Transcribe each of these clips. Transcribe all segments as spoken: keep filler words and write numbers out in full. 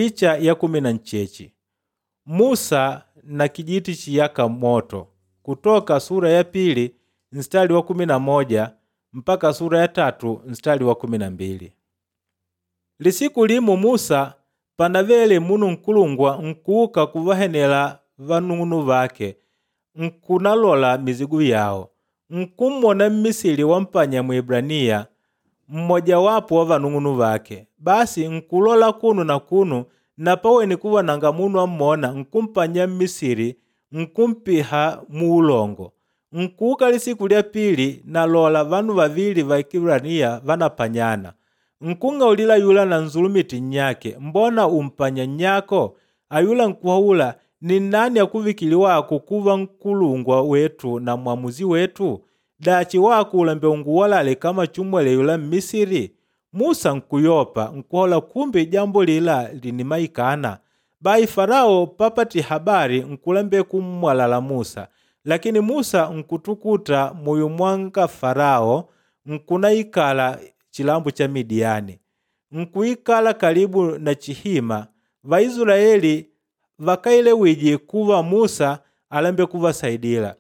Picha ya kumi na ncheche Musa na kijiti chiyaka moto kutoka sura ya pili mstari wa kumi na moja mpaka sura ya tatu mstari wa kumi na mbili. Lisiku limu Musa panavele munu nkulungwa nkuuka kuvahenela vanung'unu vake nkunalola mizigu yawo nkummona Mmisili wampanya Mwibraniya mmojawapo wa vanung'unu vake. Basi nkulola kunu na kunu na pawene kuva nanga munu ammona nkumpanya Mmisili nkumpiha muulongo. Nkuuka lisiku lya pili nalola vanu vavili va Kibraniya vanapanyana. Nkung'aulila yula nanzulumite nnyake, mbona umpanya nnyako? Ayula nkuhaula, ni nnani akuvikile wako kuva nkulungwa wetu na mwamuzi wetu? Dachi wako ulembe unguwalale kama chumwele yula Mmisiri? Musa nkuyopa nkuhaula kumbe jambo lila linimaikana. Bahi Farao papati habari nkulembe kummwalala Musa. Lakini Musa nkutukuta muyo mwanga Farao nkunaikala chilambo cha Midiani. Nkuikala karibu na chihima Vaisraeli vakaelewije kuva Musa alembe kuvasaidila.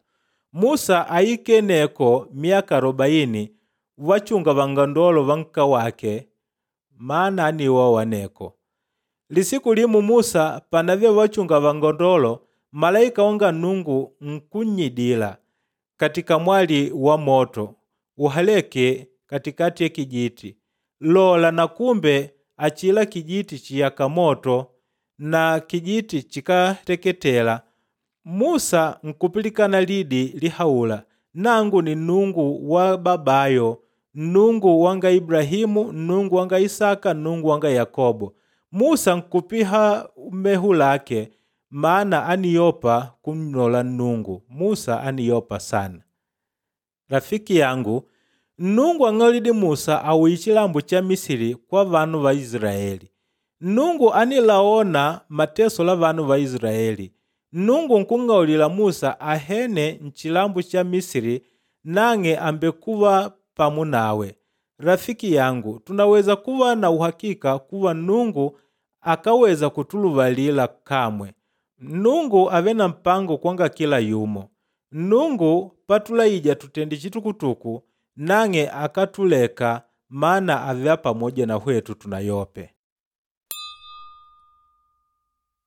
Musa aikeneko miaka arobaini wachunga vangandolo va nka wake maana aniwa waneko. Lisiku limu Musa panave wachunga vangandolo malaika wanga Nungu nkunnyidila katika mwali wa moto uhaleke katikati ya kijiti. Lola na kumbe achila kijiti chiyaka moto na kijiti chikateketela. Musa nkupilikana lidi lihaula, nangu ni Nungu wa babayo, Nungu wanga Ibrahimu, Nungu wanga Isaka, Nungu wanga Yakobo. Musa nkupiha mehu lake maana aniyopa kumnola Nungu. Musa aniyopa sana. Rafiki yangu, Nungu ang'aulidi Musa awiye chilambo cha Misiri kwa vanu va Israeli. Nungu anilaona mateso la vanu va Israeli. Nungu nkung'aulila Musa ahene nchilambo cha Misiri nang'e ambekuva pamu nawe. Rafiki yangu, tunaweza kuva na uhakika kuva Nungu akaweza kutuluvalila kamwe. Nungu ave na mpango kwanga kila yumo. Nungu patulaija tutende chitukutuku nang'e akatuleka maana avea pamoja na hwetu tunayope.